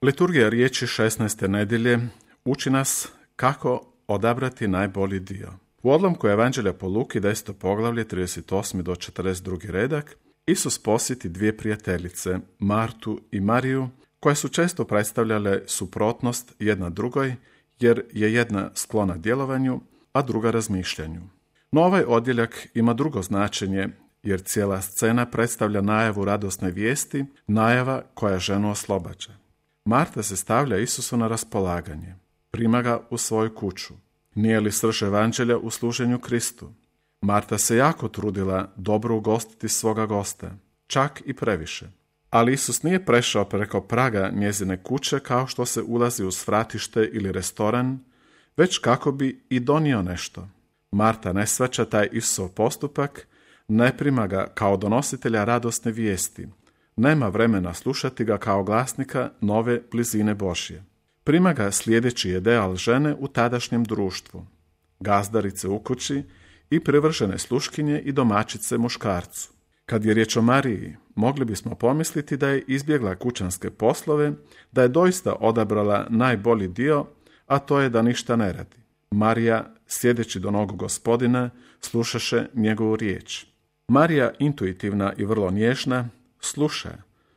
Liturgija riječi 16. nedjelje uči nas kako odabrati najbolji dio. U odlomku Evanđelja po Luki 10. poglavlje 38. do 42. redak Isus posjeti dvije prijateljice, Martu i Mariju, koje su često predstavljale suprotnost jedna drugoj, jer je jedna sklona djelovanju, a druga razmišljanju. No ovaj odjeljak ima drugo značenje, jer cijela scena predstavlja najavu radosne vijesti, najava koja ženu oslobađa. Marta se stavlja Isusu na raspolaganje, prima ga u svoju kuću. Nije li srž Evanđelja u služenju Kristu? Marta se jako trudila dobro ugostiti svoga gosta, čak i previše. Ali Isus nije prešao preko praga njezine kuće kao što se ulazi u svratište ili restoran, već kako bi i donio nešto. Marta ne shvaća taj Isusov postupak, ne prima ga kao donositelja radosne vijesti, nema vremena slušati ga kao glasnika nove blizine Božje. Prima ga sljedeći ideal žene u tadašnjem društvu, gazdarice u kući i privržene sluškinje i domaćice muškarcu. Kad je riječ o Mariji, mogli bismo pomisliti da je izbjegla kućanske poslove, da je doista odabrala najbolji dio, a to je da ništa ne radi. Marija, sjedeći do nogu Gospodina, slušaše njegovu riječ. Marija, intuitivna i vrlo nježna, sluša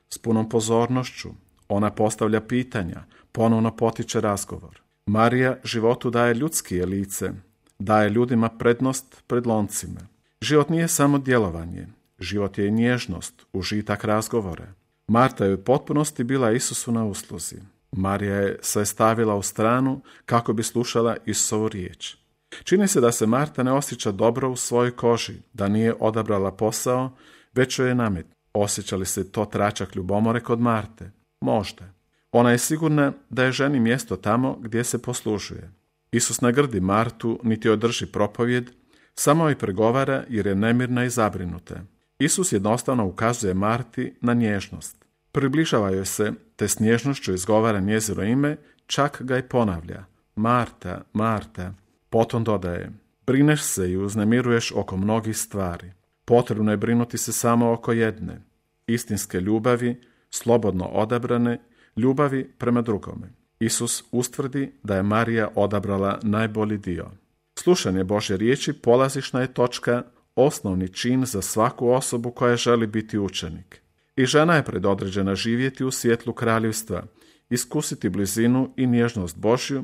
s punom pozornošću. Ona postavlja pitanja, ponovno potiče razgovor. Marija životu daje ljudskije lice, daje ljudima prednost pred loncima. Život nije samo djelovanje, život je i nježnost, užitak razgovora. Marta je u potpunosti bila Isusu na usluzi. Marija je se stavila u stranu kako bi slušala Isusovu riječ. Čini se da se Marta ne osjeća dobro u svojoj koži, da nije odabrala posao, već joj je namet. Osjeća li se to tračak ljubomore kod Marte? Možda. Ona je sigurna da je ženi mjesto tamo gdje se poslužuje. Isus ne grdi Martu, niti održi propovjed, samo joj pregovara jer je nemirna i zabrinuta. Isus jednostavno ukazuje Marti na nježnost. Približava joj se, te s nježnošću izgovara njezino ime, čak ga i ponavlja. Marta, Marta. Potom dodaje, brineš se i uznemiruješ oko mnogih stvari. Potrebno je brinuti se samo oko jedne, istinske ljubavi, slobodno odabrane, ljubavi prema drugome. Isus ustvrdi da je Marija odabrala najbolji dio. Slušanje Božje riječi polazišna je točka, osnovni čin za svaku osobu koja želi biti učenik. I žena je predodređena živjeti u svjetlu kraljevstva, iskusiti blizinu i nježnost Božju,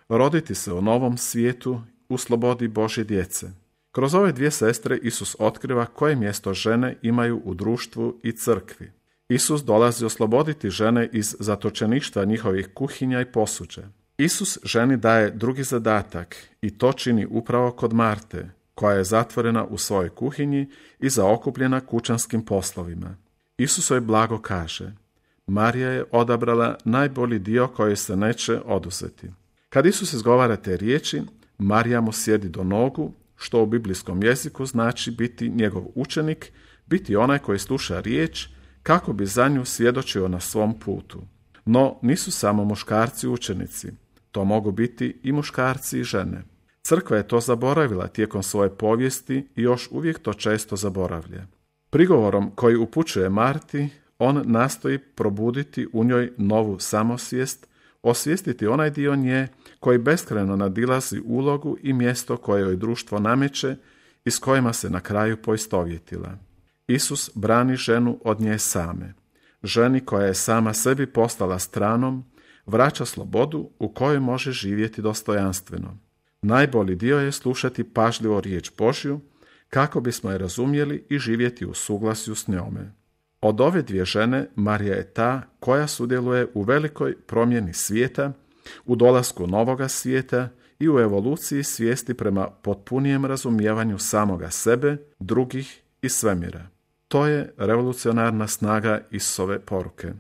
roditi se u novom svijetu u slobodi Božje djece. Kroz ove dvije sestre Isus otkriva koje mjesto žene imaju u društvu i crkvi. Isus dolazi osloboditi žene iz zatočeništva njihovih kuhinja i posuđa. Isus ženi daje drugi zadatak i to čini upravo kod Marte, koja je zatvorena u svojoj kuhinji i zaokupljena kućanskim poslovima. Isus joj blago kaže, Marija je odabrala najbolji dio koji se neće oduzeti. Kad Isus izgovara te riječi, Marija mu sjedi do nogu, što u biblijskom jeziku znači biti njegov učenik, biti onaj koji sluša riječ, kako bi za nju svjedočio na svom putu. No, nisu samo muškarci učenici, to mogu biti i muškarci i žene. Crkva je to zaboravila tijekom svoje povijesti i još uvijek to često zaboravlja. Prigovorom koji upućuje Marti, on nastoji probuditi u njoj novu samosvijest, osvijestiti onaj dio nje koji beskrajno nadilazi ulogu i mjesto koje joj društvo nameće i s kojima se na kraju poistovjetila. Isus brani ženu od nje same. Ženi koja je sama sebi postala stranom, vraća slobodu u kojoj može živjeti dostojanstveno. Najbolji dio je slušati pažljivo riječ Božju, kako bismo je razumjeli i živjeti u suglasju s njome. Od ove dvije žene, Marija je ta koja sudjeluje u velikoj promjeni svijeta, u dolasku novoga svijeta i u evoluciji svijesti prema potpunijem razumijevanju samoga sebe, drugih i svemira. To je revolucionarna snaga Isusove poruke.